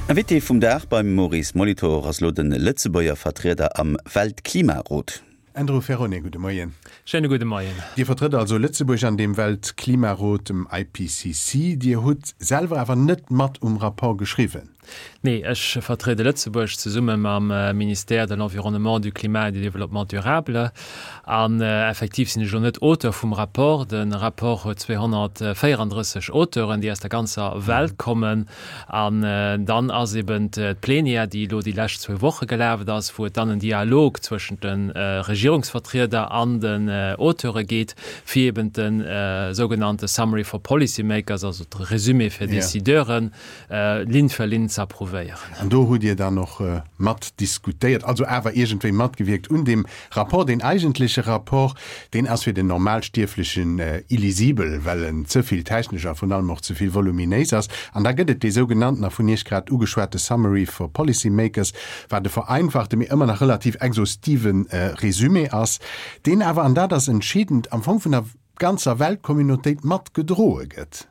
Invité vum Dag beim Maurice Molitor ass lo de Lëtzebuerger Vertrieder am Weltklimarot. Andrew Ferrone, gudde Moien. Schéine gudde Moien. Dir vertrëtt also Lëtzebuerg an deem Weltklimarot, dem IPCC. Dir hutt selwer awer net mat um Rapport geschriwwen. Nee, ech vertriede Lëtzebuerg zesumme mam Ministère de l'Environnement, du Climat et du Développement durable. An effektiv sinn ech elo net Auteur vum Rapport. De Rapport huet 234 Auteuren, déi aus der ganzer Welt kommen. An dann ass eben d'Plenière, déi elo déi lescht zwou Woche gelaf ass, wou et dann en Dialog zwëschent de Regierungsvertrieder an den Auteure geet, fir eben de sougenannte Summary for Policymakers, also de Résumé fir Décideuren, Linn fir Linn ze approuvéieren. An do hutt Dir dann och mat diskutéiert, also awer iergendwéi matgewierkt un deem Rapport. Deen eigentleche Rapport, deen ass fir den Normalstierflechen illisibel, well en ze vill technesch a vrun allem och ze vill voluminéis ass. An da gëtt et dee sougenannten a vun Iech grad ugeschwate Summary for Policy Makers, wat e vereinfachte, mee ëmmer nach relativ exhaustive Résumé ass, deen awer, an dat ass entscheedend, am Fong vun der ganzer Weltcommunautéit mat gedroe gëtt.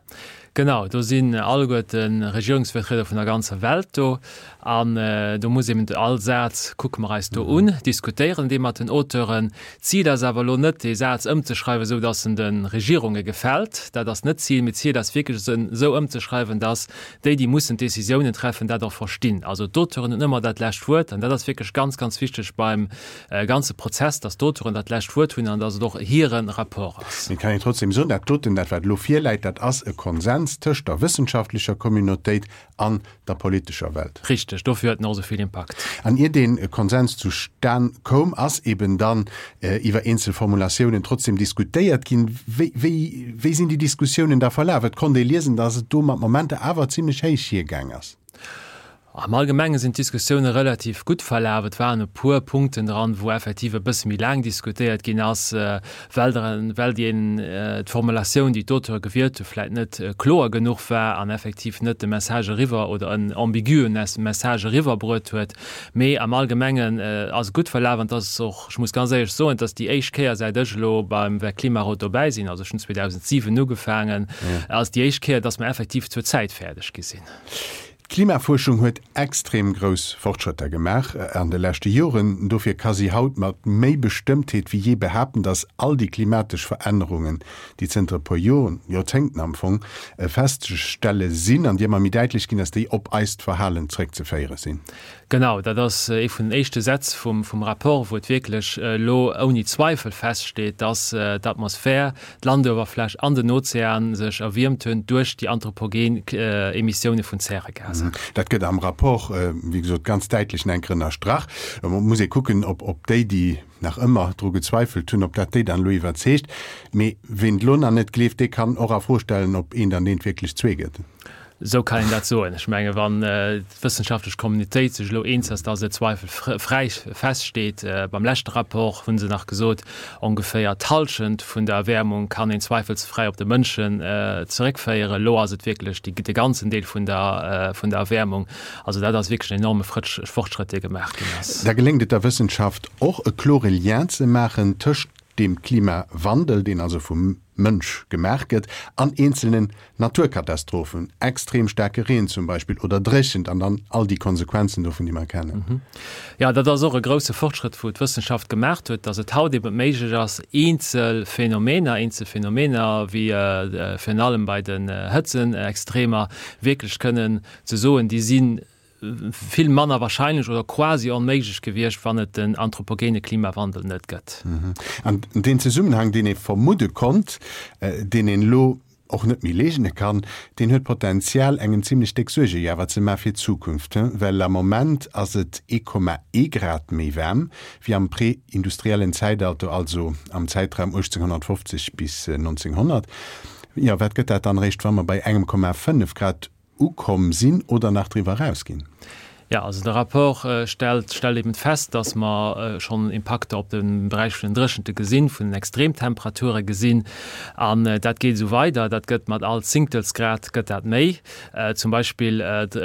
Genau, do sinn alleguerte Regierungsvertrieder vun der ganzer Welt do an do muss eben all Saz kucke mer eis do un, diskutéieren dee mat den Auteuren. D'Zil ass awer elo net, dee Saz ëmzeschreiwen, esou datt en de Regierunge gefält. Dat ass net d'Zil, mee d'Zil ass wierklech, en esou ëmzeschreiwen, datt déi, déi mussen d'Décisiounen treffen, dat och verstinn. Also d'Auteuren hunn ëmmer dat lescht Wuert an dat ass wierklech ganz, ganz wichteg beim ganze Prozess, dass d'Auteuren dat lescht Wuert hunn an dass et och hire Rapport ass. Mee et kann een trotzdem soen, dat doten, dat wat elo virläit, dat ass e Konsens tëscht der wëssenschaftlecher Communautéit an der politescher Welt. Richteg, dofir huet en och esou vill Impakt. An ier dee Konsens zustan koum, ass eben dann iwwer eenzel Formulatiounen trotzdem diskutéiert ginn. Wéi, wéi, wéi sinn déi Diskussiounen da verlaf? Et konnt ee liesen, dass et do mat Momenter awer zimlech héich hiergaang ass. Am Allgemenge sinn d'Diskussioune relativ gutt verlaf. Et waren e puer Punkten dran, wou effektiv e bësse méi laang diskutéiert ginn ass, well well déi d'Formulatioun, déi d'Auteure gewielt hu vläicht net kloer genuch war an effektiv net de Message eriwwer oder en ambiguen Message eriwwerbruet huet. Mee am Allgemengen ass et gutt verlaf an et ass och, ech muss ganz éierlech soen, et ass déi éischt Kéier säit ech elo beim Weltklimarot dobäi sinn, also ech hunn 2007 ugefaangen, ass déi éischt Kéier, datt mer effektiv zur Zäit fäerdeg gi sinn. D'Klimafuerschung huet extrem grouss Fortschrëtter gemaach an de leschte Joren. Dofir ka si haut mat méi Bestëmmtheet wéi jee behaapten, datt all déi klimatesch Verännerungen, déi zënter e puer Joren, Joerzéngten am Fong, festzestelle sinn an déi ëmmer méi däitlech ginn, datt déi op eist Verhalen zréckzeféiere sinn. Genau, dat ass ee vun den éischte Sätz vum Rapport, wou et wierklech elo ouni Zweifel feststeet, datt d'Atmosphär, d'Landuewerfläch an den Ozean sech erwiermt hunn duerch déi anthropogen Emissioune vun Zäregasen. Dat gëtt am Rapport, wéi gesot, ganz däitlech nach eng Kéier ënnerstrach. Et muss ee kucken, ob déi, déi nach ëmmer dru gezweifelt hunn, ob dat déi dann elo iwwerzeegt. Mee ween et elo nach net gleeft, dee kann och a Fro stellen, ob eent an eent wierklech zwee gëtt. Esou kann een dat soen. Ech menge wann d'wëssenschaftlech Communautéit sech elo eens ass, datt et zweifelfräi feststeet, beim leschte Rapport hu se nach gesot, ongeféier d'Hallschent vun der Erwäermung kann een zweifelsfräi op de Mënschen zeréckféieren, elo ass et wierklech de ganzen Deel vun der Erwäermung. Also dat ass wierklech en enorme Fortschrëtt, dee gemaach ginn ass. Da geléngt et der Wëssenschaft och, e klore Lien ze maachen tëscht dem Klimawandel, deen also vum Mënsch gemaach gëtt, an eenzelnen Naturkatastrophen, extrem staarke Reen zum Beispill oder Dréchent an dann all déi Konsequenzen dovun, déi mer kennen. Jo, dat ass och e grousse Fortschrëtt, wou d'Wëssenschaft gemaacht huet, dass et haut eben méiglech ass, eenzel Phänomener, eenzel Phänomener wéi virun allem bei den Hëtzenextremer, wierklech kënnen ze soen, déi si vill manner wahrscheinlech oder quasi onméiglech gewiescht, wann et den anthropogene Klimawandel net gëtt. An deen Zesummenhang, deen ee vermudde konnt, deen een elo och net méi leegne kann, deen huet d'Potenzial, engem zimlech déck Suerge jo awer ze maache fir d'Zukunft, well am Moment ass et 1,1 Grad méi waarm wéi am prä-industriellen Zäitalter, also am Zäitraum 1850 bis 1900. Jo, wat gëtt dat dann eréischt, wa mer bei engem Komma 5 Grad ukomm sinn oder nach driwwer erausginn? Jo, also de Rapport stellt stellt eben fest, dass mer schonn Impakter op de Beräich vun den Dréchente gesinn, vun den Extremtemperature gesinn. An dat geet esou weider, dat gëtt mat all Zéngtelsgrad gëtt dat méi. Zum Beispill also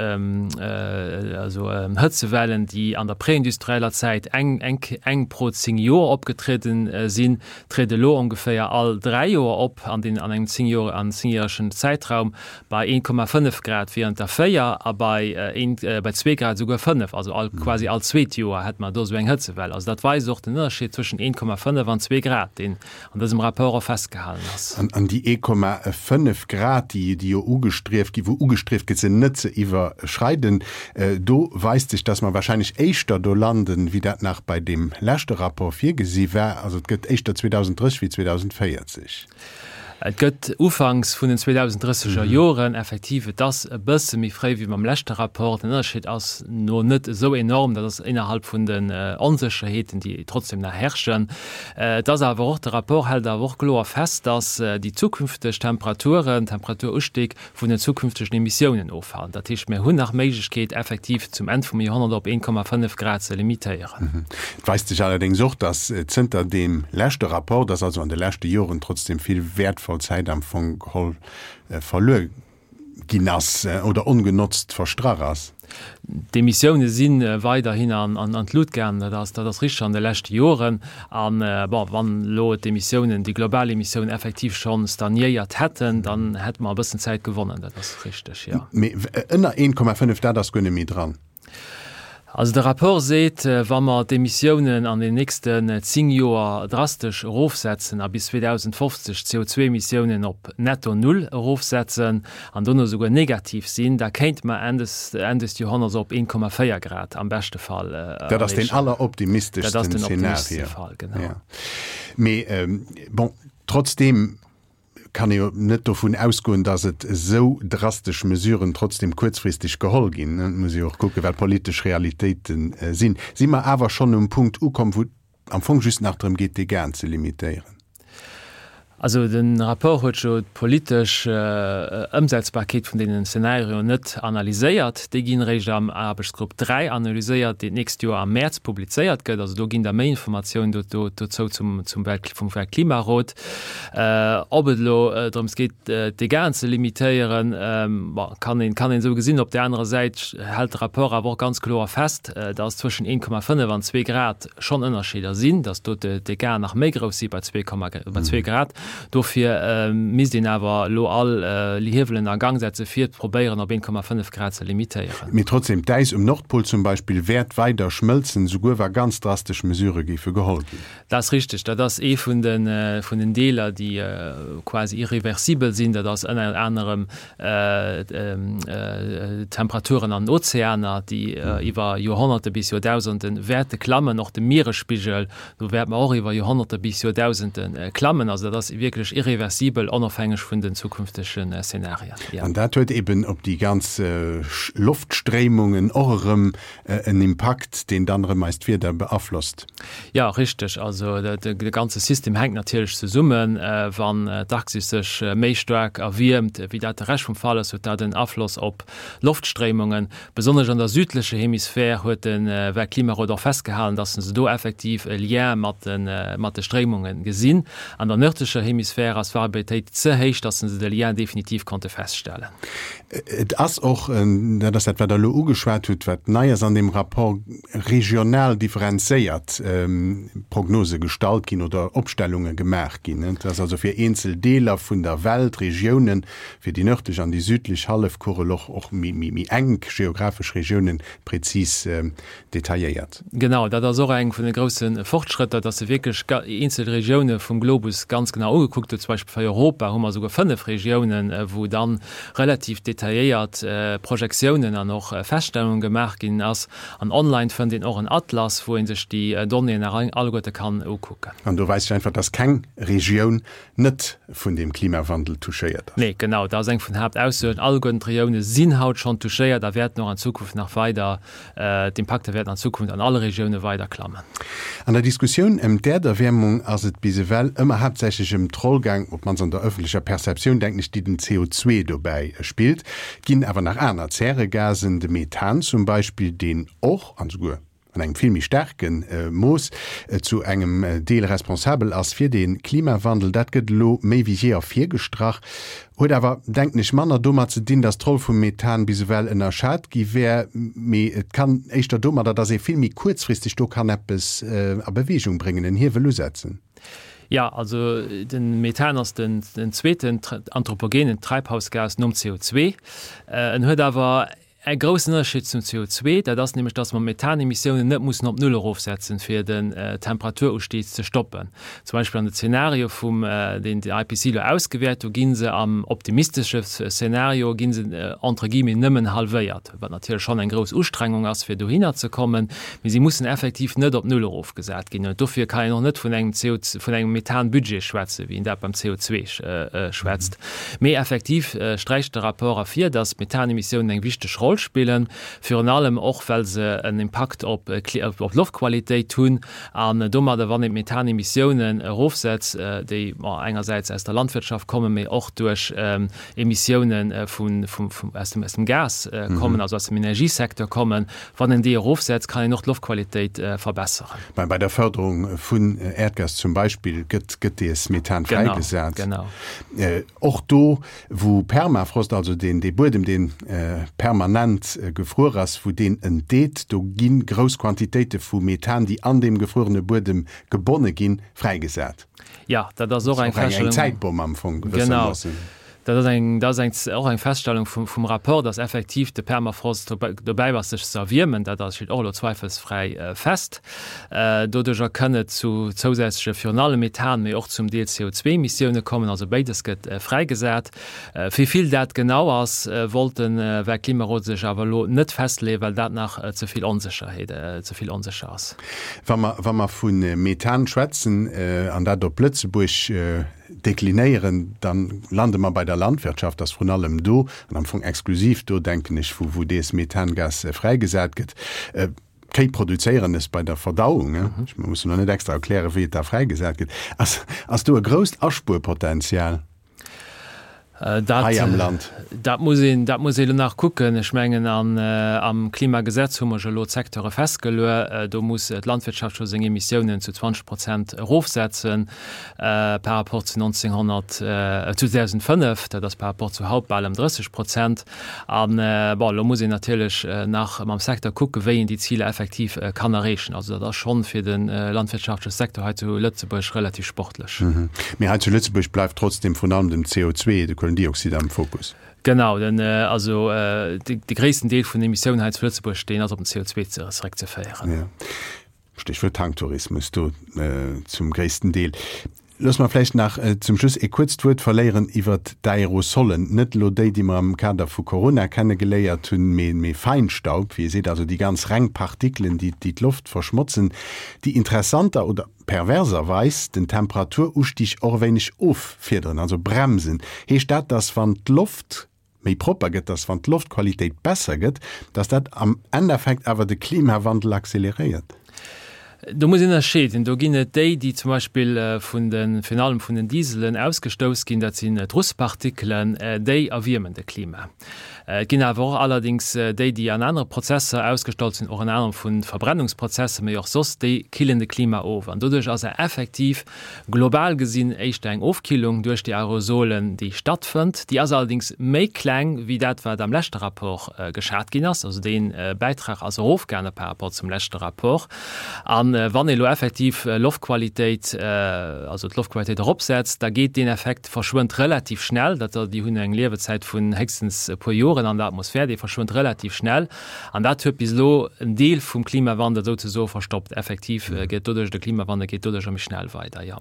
Hëtzewellen, déi an der präindustrieller Zäit eng eng eng pro 10 Joer opgetrieden sinn, triede elo ongeféier all 3 Joer op an den an engem 10 Joer an zéngjäregen Zäitraum. Bei 1,5 Grad wieren et der 4 a bei bei zwee Grad esouguer 5, also all quasi all zweet Joer hätte mer do esou eng Hëtzewell. Also dat weist och den Ënnerscheed zwëschen 1,5 an zwee Grad, deen an dësem Rapport och festgehalen ass. An déi 1,5 Grad, déi déi jo ugestrieft ginn, wou ugestrieft gëtt se net ze iwwerschreiden, do weist sech, dass mer wahrscheinlech éischter do landen, wéi dat nach bei deem leschte Rapport virgesi war. Also et gëtt éischter 2030 wéi 2040. Et gëtt ufanks vun den 2030er Joren, effektiv, et ass e bësse méi fréi wéi beim leschte Rapport. Den Ënnerscheed ass no net esou enorm, dat ass innerhalb vun den Onsécherheeten, déi trotzdem nach herrschen. Et ass awer och, de Rapport hält awer och kloer fest, dass déi zukünfteg Temperaturen, Temperaturustig vun den zukünftegen Emissiounen ofhalen. Dat heescht, mir hunn nach d'Méiglechkeet, effektiv zum Enn vum Joerhonnert op 1,5 Grad ze limitéieren. Et weist sech allerdéngs och, dass zënter deem leschte Rapport, dass also an de leschte Joren trotzdem vill wäertvoll Zäit am Fong geholl verluer ginn ass oder ongenotzt verstrach ass. D'Emissioune si weiderhin an d'Lut gaangen, dat ass, dat ass richteg, an de leschte Joren. An, bon, wann elo d'Emissiounen, déi global Emissiounen effektiv scho stagnéiert hätten, dann hätte mer e bëssen Zäit gewonnen, dat ass richteg, jo. Mee ënner 1,5, dat ass guer net méi dran. Also de Rapport seet, wa mer d'Emissiounen an den nächsten 10 Joer drastesch erofsetzen a bis 2050 d'CO2-Emissiounen op netto null erofsetzen an dono souguer negativ sinn, da kéinte mer Enn des Enn des Joerhonnerts op 1,4 Grad am beschte Fall erreechen. Dat ass deen alleroptimisteschsten Dat ass den optimisteschste Fall, genau. Mee bon, trotzdeem kann ee jo net dovun ausgoen, datt et esou drastesch Mesuren trotzdem kuerzfristeg geholl ginn. Et muss ee jo och kucken, wat d'politesch Realitéite sinn. Si mer awer schonn um Punkt ukomm, wou et am Fong just nach drëm geet, d'Dégâten ze limitéieren? Also de Rapport huet jo d'politesch Ëmsetzbarkeet vun deenen Szenarioen net analyséiert. Déi ginn eréischt am Aarbechtsgrupp 3 analyséiert, deen d'nächst Joer am Mäerz publizéiert gëtt. Also do ginn da méi Informatiounen dozou zum vum Weltklimarot. Ob et elo drëms geet, d'Dégâten ze limitéieren, bon, kann een, kann een esou gesinn. Op där anerer Säit hält de Rapport awer och ganz kloer fest, dass zwëschen 1,5 an zwee Grad schonn Ënnerscheeder sinn, dass do d'Dégâten nach méi grouss si bei zwee Grad. Dofir misst een awer elo all Hiewelen a Gang setzen, fir probéieren, op 1,5 Grad ze limitéieren. Mee trotzdem, d'Äis um Nordpol zum Beispill wäert weider schmëlzen, souguer wa ganz drastesch Mesurë géife geholl ginn. Dat ass richteg. Dat ass ee vun de, vun den Deeler, déi quasi irreversibel sinn. Dat ass ënner anerem d'Temperaturen an den Ozeaner, déi iwwer Joerhonnerte bis Joerdausende wäerte klammen. Och de Mieresspigel, do wäerte mer och iwwer Joerhonnerte bis Joerdausende klammen. Also dat ass wierklech irreversibel, onofhängeg vun den zukünftegen Szenarien. An dat huet eben op déi ganz Loftstréimungen och erëm en Impakt, deen dann erëm eist Wieder beaflosst. Jo, richteg. Also de ganze System hänkt natierlech zesummen. Wann d'Arktis sech méi staark erwiermt, wéi dat de Rescht vum Fall ass, huet dat en Afloss op Loftstréimungen. Besonnesch an der südlecher Hemisphär huet de Weltklimarot och festgehalen, datt se do effektiv e Lien mat de Stréimunge gesinn. An der nërdlecher Hemisphär ass d'Variabilitéit ze héich, datt se de Lien definitiv konnte feststellen. Et ass och, dat ass dat, wat Der elo ugeschwat hutt, wat nei ass an deem Rapport, regional differenzéiert Prognose gestallt ginn oder Opstellunge gemaach ginn. Et ass also fir eenzel Deeler vun der Welt, Regiounen, fir déi nërdlech an déi südlech Hallefkugel, och och méi enk geographesch Regiounen prezis detailléiert. Genau, dat ass och eng vun de grousse Fortschrëtter, dass se wierklech eenzel Regioune vum Globus ganz genau ugekuckt huet. Zum Beispill fir Europa hu mer esouguer 5 Regiounen, wou dann relativ detailléiert Projektiounen an och Feststellungen gemaach ginn ass. An online fënnt een och en Atlas, wou ee sech déi Donnéeën nach alleguerte kann ukucken. An do weist sech einfach, dass keng Regioun net vun deem Klimawandel touchéiert ass. Nee, genau, dat ass eng vun den Haaptaussoen. Alleguerten d'Regioune sinn haut schonn touchéiert a wäerten och an Zukunft nach weider D'Impakter wäerten an Zukunft an alle Regioune weider klammen. An der Diskussioun ëm d'Äerderwäermung ass et bis ewell ëmmer haaptsächlech ëm. ëm d'Roll gaang, op d'mannst an der ëffentlecher Perceptioun, denken ech, déi den CO2 dobäi spillt. Et ginn awer nach aner Zäregasen, de Methan zum Beispill, deen och, an esouguer an engem vill méi staarke Mooss, zu engem Deel responsabel ass fir de Klimawandel. Dat gëtt elo méi wéi jee ervirgestrach, huet awer, denken ech, manner domat ze dinn, datt d'Roll vum Methan bis ewell ënnerschat gi wär, mee et kann éischter domadder, datt ee vill méi kuerzfristeg do kann eppes a Beweegung bréngen, en Hiewel usetzen. Jo, also de Methan ass den zweeten anthropogenen Treibhausgas nom CO2. En huet awer E groussen Ënnerscheed zum CO2, dat ass nämlech, dass mer d'Methanemissiounen net mussen op Null erofsetzen, fir den Temperaturusstieg ze stoppen. Zum Beispill an de Zenario vum, deen den IPCC elo ausgewäert, do gi se am optimistesche Szenario gi se entre guillemets nëmmen halwéiert, wat natierlech schonn eng grouss Ustrengung ass, fir dohinner ze kommen, mee si mussen effektiv net op Null erofgesat ginn. Dofir kann een och net vun engem CO, vun engem Methanbudget schwätzen, wéi een dat beim CO2 schwätzt. Mee effektiv sträicht de Rapport ervir, datt d'Methanemissiounen eng wichteg Roll spillen, virun allem och well se en Impakt op d'Loftqualitéit hunn. An domadder, wann een d'Methanemissiounen erofsetzt, déi engersäits aus der Landwirtschaft kommen, mee och duerch Emissiounen aus dem Gas kommen, also aus dem Energiesecteur kommen, wann een déi erofsetzt, kann een och d'Loftqualitéit verbesseren. Bei der Fërderung vun Äerdgas zum Beispill gëtt dees Methan fräigesat. Genau. Och do, wou Permafrost, also deen dee Buedem, dee permanent gefruer ass, wou deen entdeet, do gi grouss Quantitéite vu Methan, déi an deem gefruerene Buedem gebonne ginn, fräigesat. Jo, dat ass och eng Feststellung. Eng Zäitbomm am Fong gewëssermoossen. Genau. Dat ass eng, dat ass eng, och eng Feststellung vum, vum Rapport, dass effektiv de Permafrost dobäi ass, sech ze erwiermen. Dat ass, steet och elo zweifelsfräi fest. Doduercher kënn et zu zousätzleche virun allem Methan, mee och zum Deel CO2-Emissioune kommen. Also béides gëtt fräigesat. Wéi vill dat genau ass, wollt de Weltklimarot sech awer elo net festleeën, well dat nach ze vill Onsécherheet, ze vill onsécher ass. Wa mer, wa mer vu Methan schwätzen an dat op Lëtzebuerg deklinéieren, da lande mer bei der Landwirtschaft, ass vrun allem do, an am Fong exklusiv do, denken ech, wou, wou dees Methangas fräigesat gëtt. D'Kéi produzéieren es bei der Verdauung, ech muss elo net extra erklären, wéi et da fräigesat gëtt. Ass, ass do e grousst Aspuerpotenzial hei am Land? Dat muss een, dat muss ee elo nach kucken. Ech mengen, an, am Klimagesetz hu mer jo elo d'Secteure festgeluer. Do muss d'Landwirtschaft scho seng Emissiounen zu 20 Prozent erofsetzen par rapport zu 1900, zu 2005. Dat ass par rapport zu haut bal ëm 30 Prozent. An, bon, elo muss een natierlech nach mam Secteur kucken, wéi een déi Ziler effektiv kann erreechen. Also dat ass schonn fir de landwirtschaftleche Secteur hei zu Lëtzebuerg relativ sportlech. Mee hei zu Lëtzebuerg bleift trotzdem vrun allem den CO2, de Kuelendioxid, am Fokus. Genau, den, also de gréissten Deel vun den Emissiounen hei zu Lëtzebuerg, deen ass op den CO2 zeréckzeféieren. Jo. Stéchwuert Tanktourismus do zum gréissten Deel. Looss mer vläicht nach zum Schluss ee kuerzt Wuert verléieren iwwert d'Aerosolen. Net elo déi, déi mer am Kader vu Corona kenne geléiert hunn, mee mee Feinstaub, wéi ee seet, also déi ganz reng Partikelen, déi déi d'Loft verschmotzen, déi interessanter oder perverserweis den Temperaturustig och e wéineg offiederen, also bremsen. Heescht dat, dass wann d'Loft méi propper gëtt, dass wann d'Loftqualitéit besser gëtt, dass dat am Endeffekt awer de Klimawandel acceleréiert? Do muss een ënnerscheeden. Do ginn et déi, déi zum Beispill vun de, virun allem vun den Dieselen ausgestouss ginn, dat sinn d'Russpartikelen, déi erwiermen de Klima. Et ginn awer och allerdéngs déi, déi an anere Prozesser ausgestallt sinn, och ënner anerem vu Verbrennungsprozesser, mee och soss, déi killen de Klima of. An doduerch ass effektiv Global gesinn éischter eng Ofkillung duerch déi Aerosolen, déi stattfënnt. Déi ass allerdéngs méi kleng wéi dat, wat am leschte Rapport geschat ginn ass. Also dee Bäitrag ass erofgaange par rapport zum leschte Rapport. A wann ee elo effektiv Loftqualitéit, also d'Loftqualitéit eropsetzt, da geet deen Effekt, verschwënnt relativ schnell. Dat, déi hunn eng Liewezäit vun héchstens e puer Joren an der Atmosphär, déi verschwënnt relativ schnell. An dat huet bis elo en Deel vum Klimawandel souzesoe verstoppt. Effektiv gëtt doduerch de Klimawandel geet doduercher méi schnell weider, jo.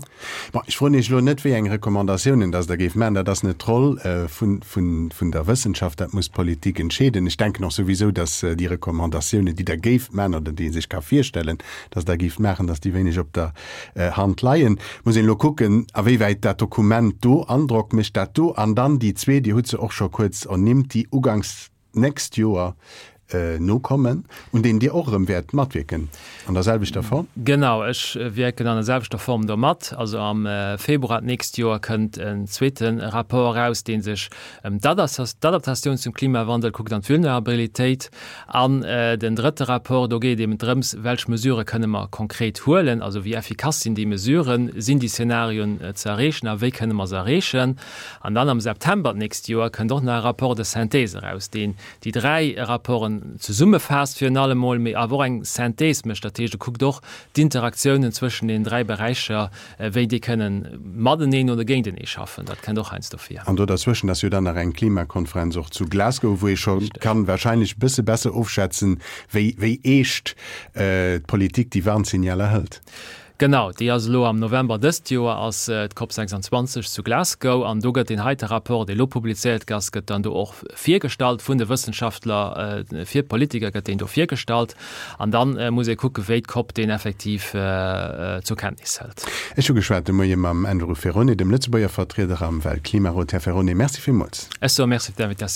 Bon, ech froen Iech elo net, wéi eng Recommandatiounen dass Der géift maachen. Dat ass net d'Roll vun, vun, vun der Wëssenschaft. Dat muss d'Politik entscheeden. Ech denken och souwisou, dass déi Recommandatiounen, déi Der géift maachen oder déi ee sech ka virstellen, dass Der géift maachen, dass déi wéineg op der Hand leien. Muss een elo kucken, awéiwäit dat Dokument do Androck mécht. Dat do an dann déi zweet, Dir hutt se och scho kuerz ernimmt, déi uganks d'nächst Joer. Nokommen, un deenen Dir och erëm wäert matwierken an der selwechter Form? Genau, ech wierken an der selwechter Form do mat. Also am Februar d'nächst Joer kënnt en zweete Rapport eraus, dee sech ëm d'Adaptatioun zum Klimawandel kuckt an d'Vulnerabilitéit. An den drëtte Rapport, do geet et eben drëms, welch Mesurë kënne mer konkret huelen, also wéi effikass sinn déi Mesuren, sinn déi Szenarioen ze erreechen a wéi kënne mer se erreechen. An dann am September d'nächst Joer kënnt och nach e Rapport de synthèse eraus, deen déi 3 Rapporten zesummefaasst virun allem emol, mee awer och eng Synthèse mécht, dat heescht e kuckt och d'Interaktiounen zwëschen den 3 Beräicher, wéi déi kënnen mateneen oder géintenee schaffen, dat kënnt och heiansdo vir. An do derzwëschen ass jo dann nach eng Klimakonferenz och zu Glasgow, wou ee scho kann wahrscheinlech e bësse besser ofschätzen, wéi wéi eescht d'Politik déi Warnsignaler hëlt. Genau, déi ass elo am November dëst Joer ass d'COP 26 zu Glasgow an do gëtt deen heite Rapport, dee elo publizéiert gi ass, gëtt dann do och virgestallt vun de Wëssenschaftler, fir d'Politiker gëtt deen do virgestallt an dann muss ee kucken, wéi d'COP deen effektiv zur Kenntnis hëlt. Ech hu geschwat de Moie mam Andrew Ferrone, dem Lëtzebuerger Vertrieder am Weltklimarot. Här Ferrone, Merci villmools. Ech soe Merci fir d'Invitatioun.